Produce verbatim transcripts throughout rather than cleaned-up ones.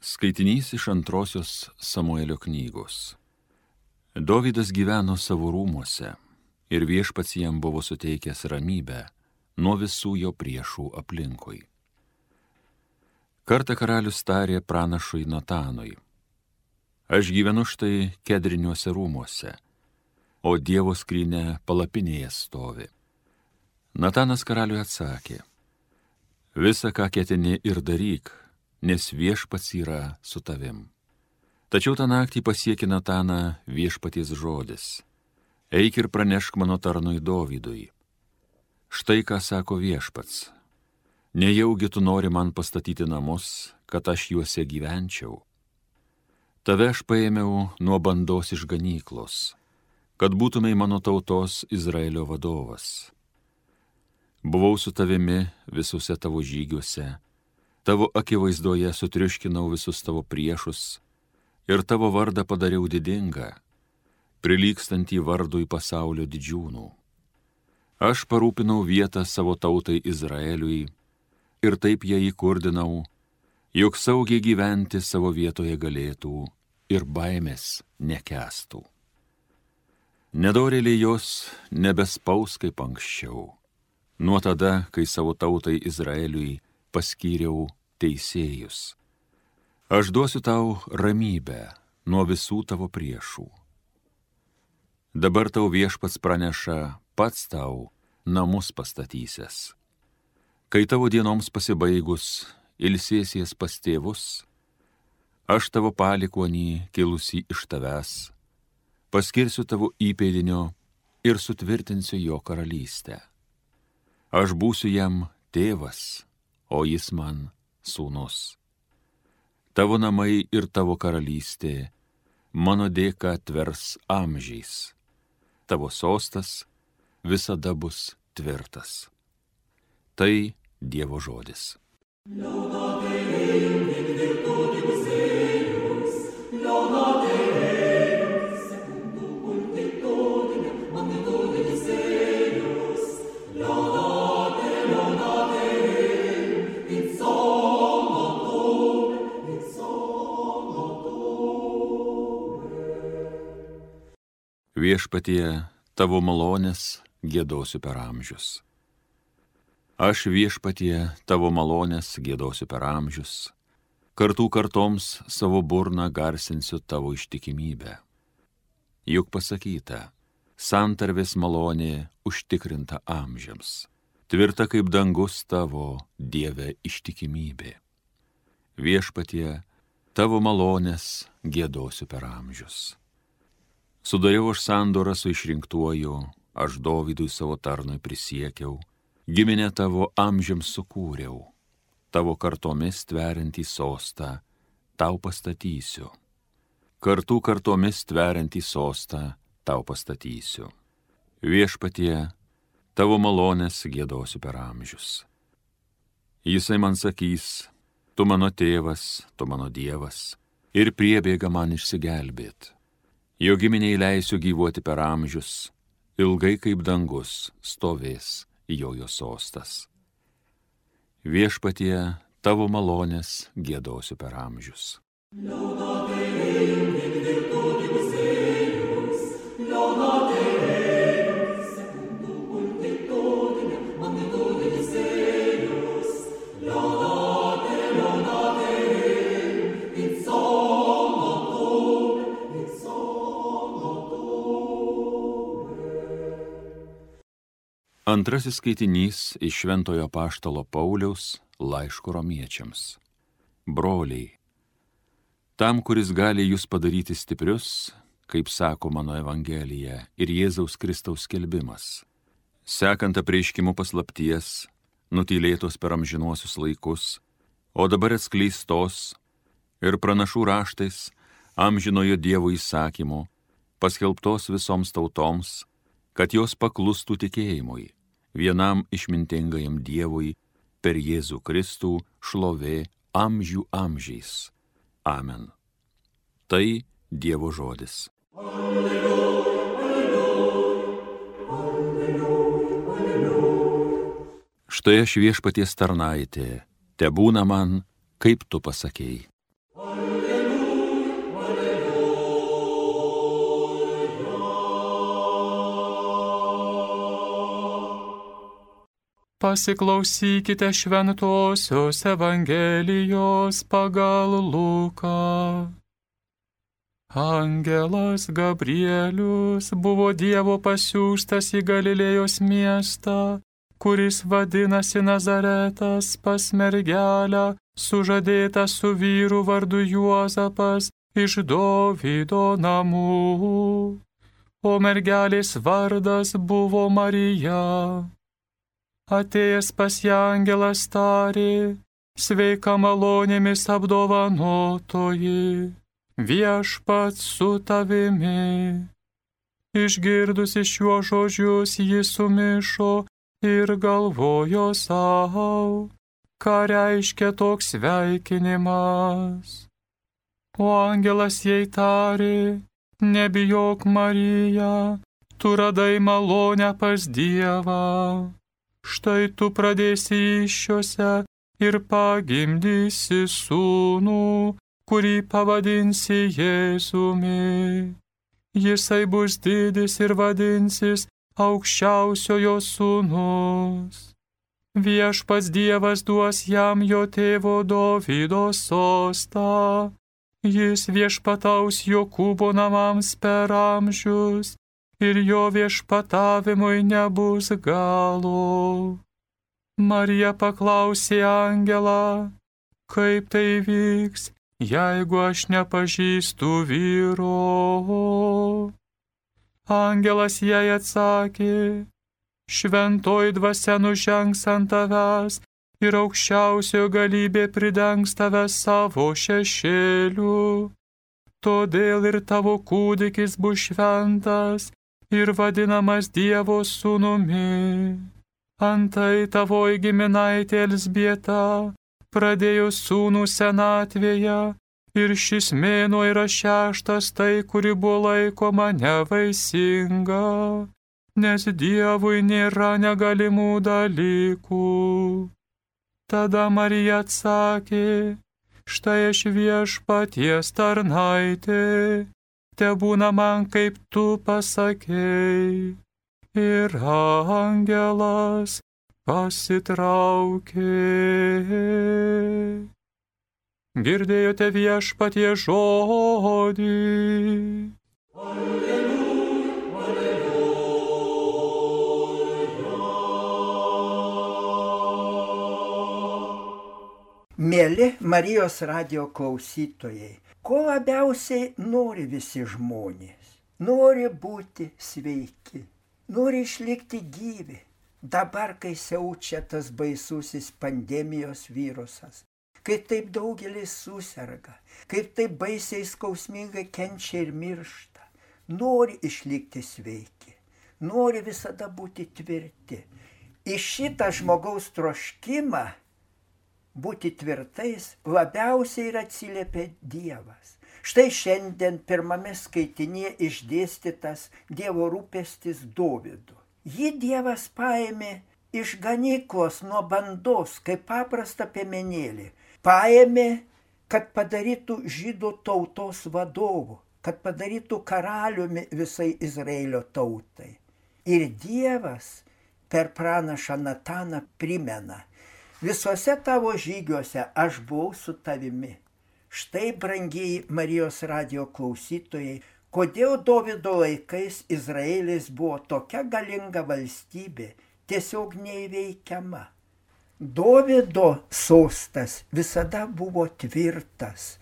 Skaitinys iš antrosios Samuelio knygos. Dovydas gyveno savo rūmuose ir viešpats jam buvo suteikęs ramybę nuo visų jo priešų aplinkui. Kartą karalius tarė pranašui Natanui: Aš gyvenu štai kedriniuose rūmuose, o Dievo skrynia palapinėje stovi. Natanas karaliui atsakė: Visa, ką ketini, ir daryk, nes viešpats yra su tavim. Tačiau tą naktį pasiekė Nataną viešpaties žodis: Eik ir pranešk mano tarnui Dovydui. Štai ką sako viešpats: Nejaugi tu nori man pastatyti namus, kad aš juose gyvenčiau? Tave aš paėmiau nuo bandos iš ganyklos, kad būtumei mano tautos Izraelio vadovas. Buvau su tavimi visuose tavo žygiuose, tavo akivaizdoje sutriuškinau visus tavo priešus ir tavo vardą padariau didingą, prilygstantį vardui pasaulio didžiūnų. Aš parūpinau vietą savo tautai Izraeliui ir taip ją įkurdinau, jog saugiai gyventi savo vietoje galėtų ir baimės nekęstų. Nedorėliai jos nebespaus kaip anksčiau, nuo tada, kai savo tautai Izraeliui paskyriau teisėjus. Aš duosiu tau ramybę nuo visų tavo priešų. Dabar tau viešpats praneša, pats tau namus pastatysias. Kai tavo dienoms pasibaigus ilsėsies pas tėvus, aš tavo palikuonį kilusį iš tavęs paskirsiu tavo įpėdinio ir sutvirtinsiu jo karalystę. Aš būsiu jam tėvas, o jis man sūnus. Tavo namai ir tavo karalystė mano dėka tvers amžiais. Tavo sostas visada bus tvirtas. Tai Dievo žodis. Viešpatie, tavo malonės giedosiu per amžius. Aš viešpatie, tavo malonės giedosiu per amžius, kartų kartoms savo burną garsinsiu tavo ištikimybę. Juk pasakyta, santarvės malonė užtikrinta amžiams, tvirta kaip dangus tavo, Dieve, ištikimybė. Viešpatie, tavo malonės giedosiu per amžius. Sudariau aš sandorą su išrinktuoju, aš Dovydui savo tarnui prisiekiau, giminę tavo amžiams sukūriau, tavo kartomis tveriantį sostą tau pastatysiu. Kartų kartomis tveriantį sostą tau pastatysiu. Viešpatie, tavo malonės giedosiu per amžius. Jisai man sakys, tu mano tėvas, tu mano Dievas, ir priebėga man išsigelbėt. Jo giminiai leisiu gyvuoti per amžius, ilgai kaip dangus stovės jojo sostas. Viešpatie, tavo malonės giedosiu per amžius. Antrasis skaitinys iš Šventojo apaštalo Pauliaus laiško romiečiams. Broliai, tam, kuris gali jūs padaryti stiprius, kaip sako mano Evangelija ir Jėzaus Kristaus skelbimas, sekant apreiškimu paslapties, nutylėtos per amžinuosius laikus, o dabar atskleistos ir pranašų raštais amžinojo Dievo įsakymu, paskelbtos visoms tautoms, kad jos paklustų tikėjimui, vienam išmintingajam Dievui per Jėzų Kristų šlovė amžių amžiais. Amen. Tai Dievo žodis. Alleluja, alleluja, alleluja, alleluja. Štai aš viešpaties tarnaitė, tebūna man, kaip tu pasakei. Alleluja. Pasiklausykite šventosios Evangelijos pagal Luką. Angelas Gabrielius buvo Dievo pasiųstas į Galilėjos miestą, kuris vadinasi Nazaretas, pas mergelę, sužadėtą su vyru vardu Juozapas iš Dovydo namų. O mergelės vardas buvo Marija. Atėjęs pas ją angelas tarė: sveika malonėmis apdovanotoji, viešpats su tavimi. Išgirdusi šiuos žodžius, ji sumišo ir galvojo sau, ką reiškia toks sveikinimas. O angelas jai tarė: nebijok, Marija, tu radai malonę pas Dievą. Štai tu pradėsi įsčiose ir pagimdysi sūnų, kurį pavadinsi Jėzumi. Jisai bus didis ir vadinsis Aukščiausiojo sūnus. Viešpats Dievas duos jam jo tėvo Dovydo sostą. Jis viešpataus Jokūbo namams per amžius, ir jo viešpatavimui nebus galo. Marija paklausė angelą: kaip tai vyks, jeigu aš nepažįstu vyro? Angelas jai atsakė: šventoji dvasia nužengs ant tavęs ir aukščiausiojo galybė pridengs tave savo šešėliu. Todėl ir tavo kūdikis bus šventas ir vadinamas Dievo sūnumi. Antai tavoji giminaitė Elzbieta pradėjo sūnų senatvėje, ir šis mėnuo yra šeštas tai, kuri buvo laikoma nevaisinga, nes Dievui nėra negalimų dalykų. Tada Marija atsakė: štai aš viešpaties tarnaitė, tebūna man kaip tu pasakei. Ir angelas pasitraukė. Girdėjote viešpatie žodį. Alleluja, alleluja. Mieli Marijos radijo klausytojai, ko labiausiai nori visi žmonės? Nori būti sveiki, nori išlikti gyvi. Dabar, kai siaučia tas baisusis pandemijos virusas, kai taip daugelis suserga, kaip taip baisiai skausmingai kenčia ir miršta, nori išlikti sveiki, nori visada būti tvirti. Į šitą žmogaus troškimą būti tvirtais labiausiai ir atsiliepia Dievas. Štai šiandien pirmame skaitinėje išdėstytas Dievo rūpestis Dovydu. Jį Dievas paėmė iš ganyklos nuo bandos, kaip paprastą piemenėlį. Paėmė, kad padarytų žydų tautos vadovu, kad padarytų karaliumi visai Izraelio tautai. Ir Dievas per pranašą Nataną primena: visuose tavo žygiuose aš buvau su tavimi. Štai, brangieji Marijos radijo klausytojai, kodėl Dovydo laikais Izraelis buvo tokia galinga valstybė, tiesiog neįveikiama. Dovydo sostas visada buvo tvirtas,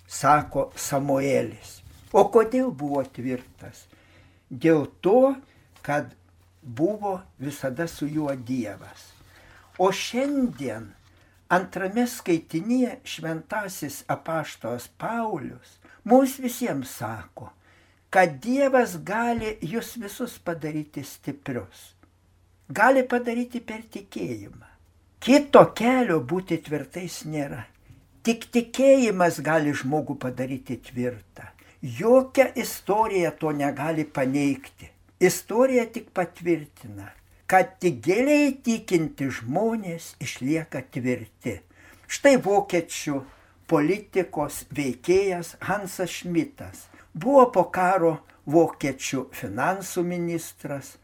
sako Samuelis. O kodėl buvo tvirtas? Dėl to, kad buvo visada su juo Dievas. O šiandien antrame skaitinyje šventasis apaštalas Paulius mums visiems sako, kad Dievas gali jūs visus padaryti stiprius. Gali padaryti per tikėjimą. Kito kelio būti tvirtais nėra. Tik tikėjimas gali žmogų padaryti tvirtą. Jokia istorija to negali paneigti. Istorija tik patvirtina, kad tik giliai tikinti žmonės išlieka tvirti. Štai vokiečių politikos veikėjas Hansas Šmitas buvo po karo vokiečių finansų ministras,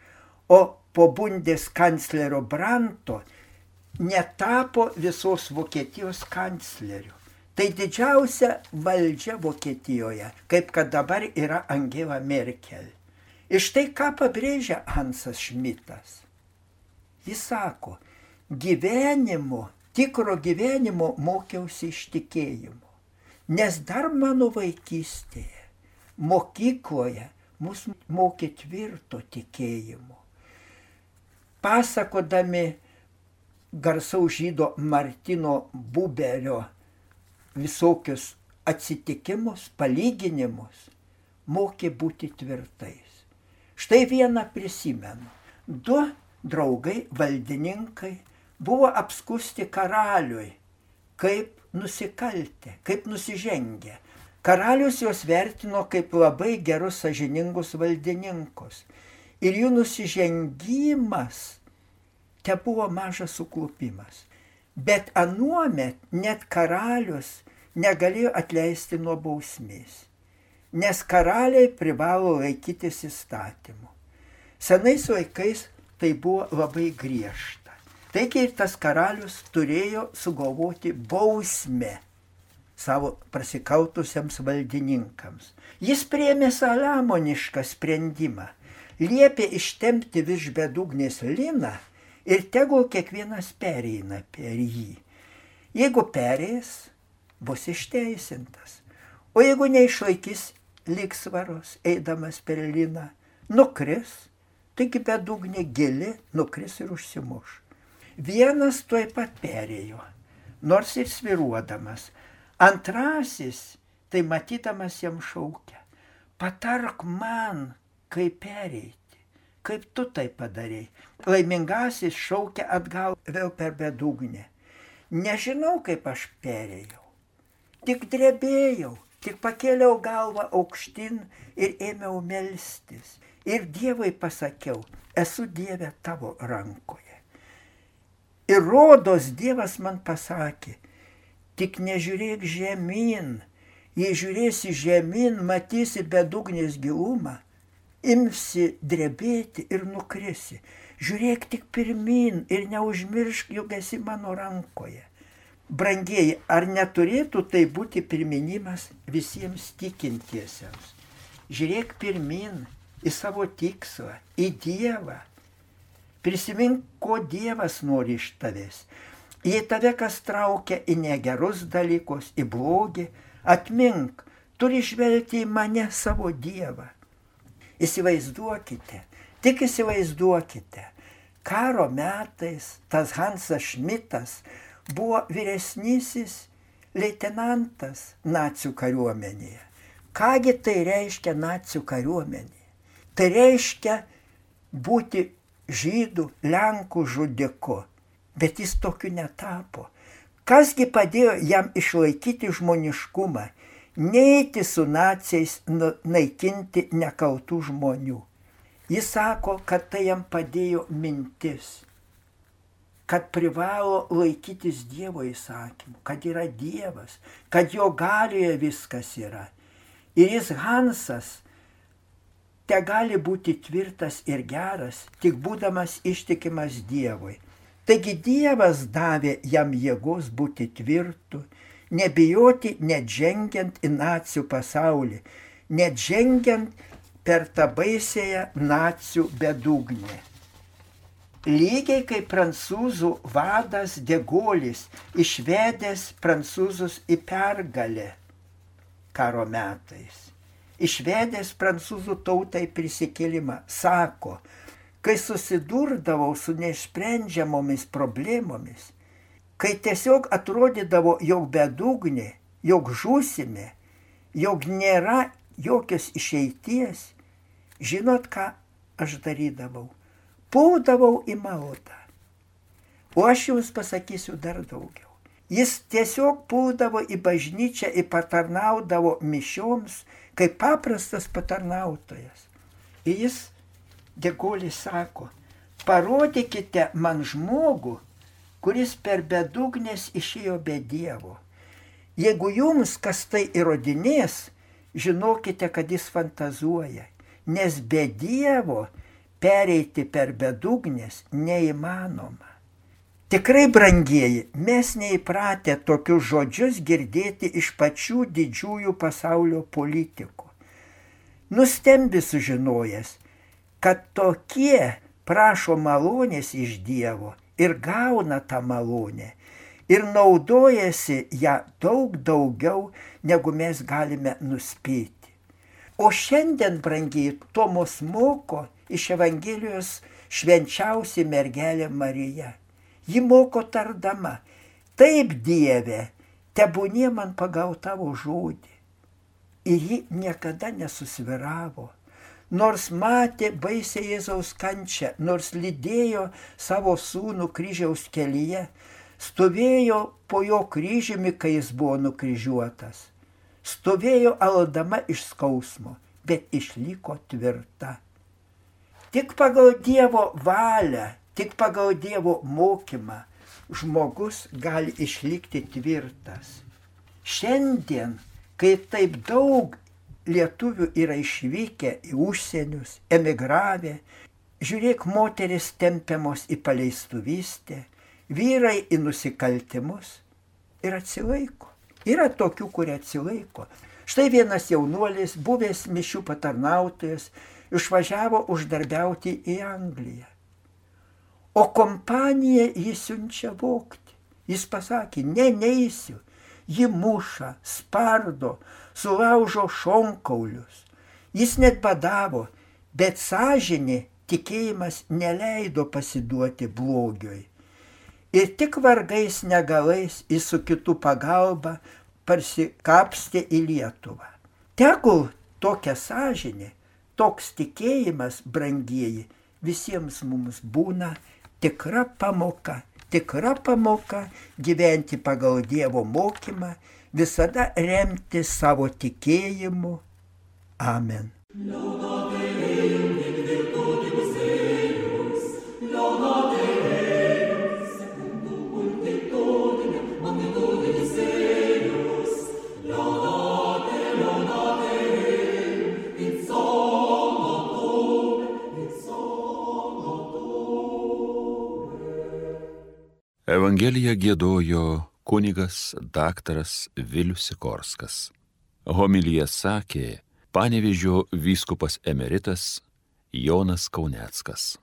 o po Bundės kanclerio Branto netapo visos Vokietijos kancleriu. Tai didžiausia valdžia Vokietijoje, kaip kad dabar yra Angela Merkel. Ir štai ką pabrėžia Hansas Šmitas. Jis sako, gyvenimo, tikro gyvenimo mokiausi iš tikėjimo. Nes dar mano vaikystėje, mokykloje, mus mokė tvirto tikėjimo. Pasakodami garsaus žydo Martino Buberio visokius atsitikimus, palyginimus, mokė būti tvirtais. Štai vieną prisimenu. Du draugai, valdininkai, buvo apskusti karaliui, kaip nusikaltę, kaip nusižengę. Karalius juos vertino kaip labai gerus sąžiningus valdininkus. Ir jų nusižengimas te buvo mažas suklupimas. Bet anuomet net karalius negalėjo atleisti nuo bausmės, nes karaliai privalo laikytis įstatymų. Senais laikais tai buvo labai griežta. Taigi ir tas karalius turėjo sugalvoti bausmę savo prasikautusiems valdininkams. Jis priėmė salamonišką sprendimą, liepė ištempti virš bedugnės liną ir tegul kiekvienas pereina per jį. Jeigu pereis, bus išteisintas. O jeigu neišlaikys lygsvaros, eidamas per liną, nukris, taigi bedugnė gili, nukris ir užsimuš. Vienas tuoj pat perėjo, nors ir sviruodamas. Antrasis, tai matydamas jam šaukia, patark man, kaip pereiti. Kaip tu tai padarei? Laimingasis šaukia atgal vėl per bedugnę. Nežinau, kaip aš perėjau. Tik drebėjau, tik pakėliau galvą aukštyn ir ėmiau melstis. Ir Dievui pasakiau, esu Dieve tavo rankoje. Ir rodos Dievas man pasakė, tik nežiūrėk žemyn. Jei žiūrėsi žemyn, matysi bedugnės gilumą. Imsi drebėti ir nukrisi. Žiūrėk tik pirmyn ir neužmiršk, jog esi mano rankoje. Brangieji, ar neturėtų tai būti priminimas visiems tikintiesiems? Žiūrėk pirmyn į savo tikslą, į Dievą. Prisimink, ko Dievas nori iš tavęs. Jei tave kas traukia į negerus dalykus, į blogį, atmink, turi žvelgti į mane savo Dievą. Įsivaizduokite, tik įsivaizduokite, karo metais tas Hansas Šmitas buvo vyresnysis leitenantas nacių kariuomenėje. Kągi tai reiškia nacių kariuomenėje? Tai reiškia būti žydų, lenkų žudiku, bet jis tokiu netapo. Kasgi padėjo jam išlaikyti žmoniškumą? Neiti su naciais naikinti nekaltų žmonių. Jis sako, kad tai jam padėjo mintis, kad privalo laikytis Dievo įsakymų, kad yra Dievas, kad jo galioje viskas yra. Ir jis Hansas te gali būti tvirtas ir geras, tik būdamas ištikimas Dievui. Taigi Dievas davė jam jėgos būti tvirtu, nebijoti net žengiant į nacių pasaulį, net žengiant per tą baisėją nacių bedugnę. Lygiai kaip prancūzų vadas De Gaullis, išvedęs prancūzus į pergalę karo metais, išvedęs prancūzų tautai prisikėlimą, sako, kai susidurdavau su neišsprendžiamomis problemomis, kai tiesiog atrodydavo, jog bedugnė, jog žūsime, jog nėra jokios išeities, žinot, ką aš darydavau? Puldavau į maldą. O aš jums pasakysiu dar daugiau. Jis tiesiog puldavo į bažnyčią ir patarnaudavo mišioms, kaip paprastas patarnautojas. Ir jis, De Gaullis, sako, parodykite man žmogų, kuris per bedugnės išėjo be Dievo. Jeigu jums kas tai įrodinės, žinokite, kad jis fantazuoja, nes be Dievo pereiti per bedugnės neįmanoma. Tikrai, brangieji, mes neįpratę tokius žodžius girdėti iš pačių didžiųjų pasaulio politikų. Nustembi sužinojęs, kad tokie prašo malonės iš Dievo ir gauna tą malonę ir naudojasi ją daug daugiau, negu mes galime nuspėti. O šiandien, brangiai, to mus moko iš Evangelijos švenčiausia mergelė Marija. Ji moko tardama: taip, Dieve, tebūnie man pagal tavo žodį. Ir ji niekada nesusviravo, nors matė baisę Jėzaus kančią, nors lydėjo savo sūnų kryžiaus kelyje, stovėjo po jo kryžiumi, kai jis buvo nukryžiuotas, stovėjo aldama iš skausmo, bet išliko tvirta. Tik pagal Dievo valią, tik pagal Dievo mokymą žmogus gali išlikti tvirtas. Šiandien, kai taip daug lietuvių yra išvykę į užsienius, emigravę, žiūrėk, moteris tempiamos į paleistuvystę, vyrai į nusikaltimus ir atsilaiko. Yra tokių, kurie atsilaiko. Štai vienas jaunuolis, buvęs mišių patarnautojas, išvažiavo uždarbiauti į Angliją. O kompaniją jis siunčia vogti. Jis pasakė: ne, neisiu. Ji muša, spardo, sulaužo šonkaulius. Jis net badavo, bet sąžinė, tikėjimas neleido pasiduoti blogiui. Ir tik vargais negalais jis su kitų pagalba parsikapstė į Lietuvą. Tegul tokia sąžinė, toks tikėjimas, brangieji, visiems mums būna tikra pamoka, tikra pamoka gyventi pagal Dievo mokymą, visada remti savo tikėjimu. Amen. Evangeliją giedojo kunigas daktaras Vilius Sikorskas. Homiliją sakė Panevėžio vyskupas emeritas Jonas Kauneckas.